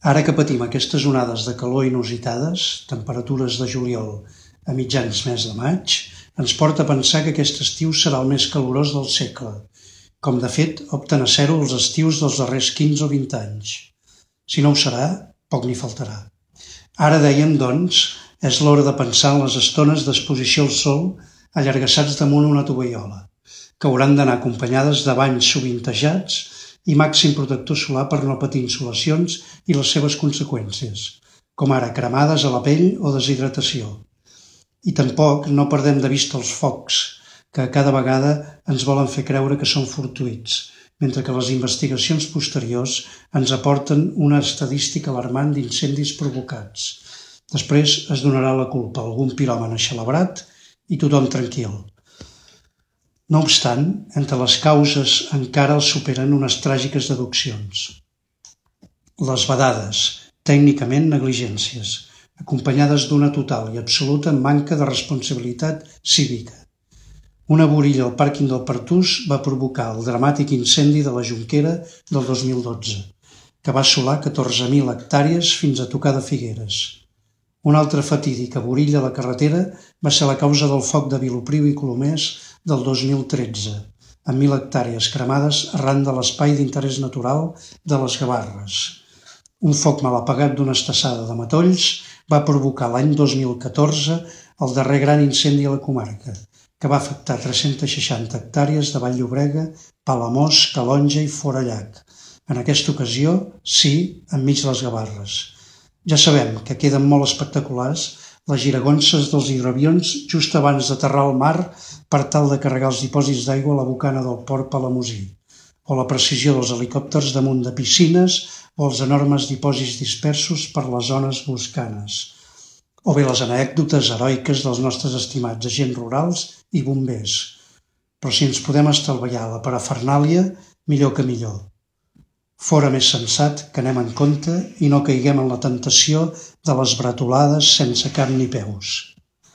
Ara que patim aquestes onades de calor inusitades, temperatures de juliol a mitjans mes de maig, ens porta a pensar que aquest estiu serà el més calorós del segle, com de fet opten a ser-ho els estius dels darrers 15 o 20 anys. Si no ho serà, poc n'hi faltarà. Ara dèiem, doncs, és l'hora de pensar en les estones d'exposició al sol allargassats damunt una tovallola, que hauran d'anar acompanyades de banys sovintejats i màxim protector solar per no patir insolacions i les seves conseqüències, com ara cremades a la pell o deshidratació. I tampoc no perdem de vista els focs, que cada vegada ens volen fer creure que són fortuïts, mentre que les investigacions posteriors ens aporten una estadística alarmant d'incendis provocats. Després es donarà la culpa a algun piròman eixelebrat i tothom tranquil. No obstant, entre les causes encara els superen unes tràgiques deduccions. Les vedades, tècnicament negligències, acompanyades d'una total i absoluta manca de responsabilitat cívica. Una burilla al pàrquing del Pertús va provocar el dramàtic incendi de la Jonquera del 2012, que va assolar 14.000 hectàrees fins a tocar de Figueres. Una altra fatídica burilla a la carretera va ser la causa del foc de Vilopriu i Colomers del 2013, amb 1.000 hectàrees cremades arran de l'espai d'interès natural de les Gavarres. Un foc mal apagat d'una estassada de matolls va provocar l'any 2014 el darrer gran incendi a la comarca, que va afectar 360 hectàrees de Vall-llobrega, Palamós, Calonja i Forallac. En aquesta ocasió, sí, enmig de les Gavarres. Ja sabem que queden molt espectaculars les giragonses dels hidroavions just abans d'aterrar al mar per tal de carregar els dipòsits d'aigua a la bocana del port palamosí, o la precisió dels helicòpters damunt de piscines o els enormes dipòsits dispersos per les zones boscanes, o bé les anècdotes heroiques dels nostres estimats agents rurals i bombers. Però si ens podem estalviar la parafernàlia, millor que millor. Fora més sensat que anem en compte i no caiguem en la temptació de les bretolades sense cap ni peus.